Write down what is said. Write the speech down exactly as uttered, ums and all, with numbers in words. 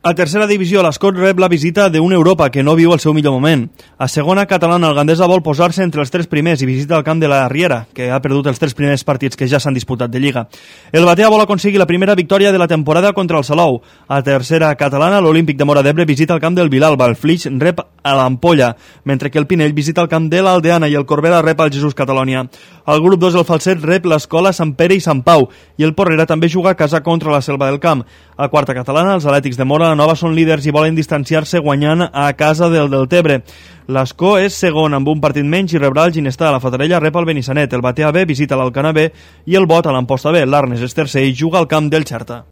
A tercera divisió, l'Escot rep la visita d'un Europa que no viu el seu millor moment. A segona catalana, el Gandesa vol posar-se entre els tres primers i visita el camp de la Riera, que ha perdut els tres primers partits que ja s'han disputat de Lliga. El Batea vol aconseguir la primera victòria de la temporada contra el Salou. A tercera catalana, l'Olímpic de Móra d'Ebre visita el camp del Vilalba, el Flix rep a l'Ampolla, mentre que el Pinell visita el camp de l'Aldeana i el Corbera rep al Jesús Catalònia. El grup dos, el Falset, rep l'Escola Sant Pere i Sant Pau, i el Porrera també juga a casa contra la Selva del Camp. A quarta catalana, els Atlètics de Móra la Nova són líders i volen distanciar-se guanyant a casa del Deltebre. L'Escó és segon amb un partit menys i rebrà el Ginestà. La Fatarella rep el Benissanet, el Batea B visita l'Alcanar B i el Bot a l'Amposta B. L'Arnes és tercer i juga al camp del Xerta.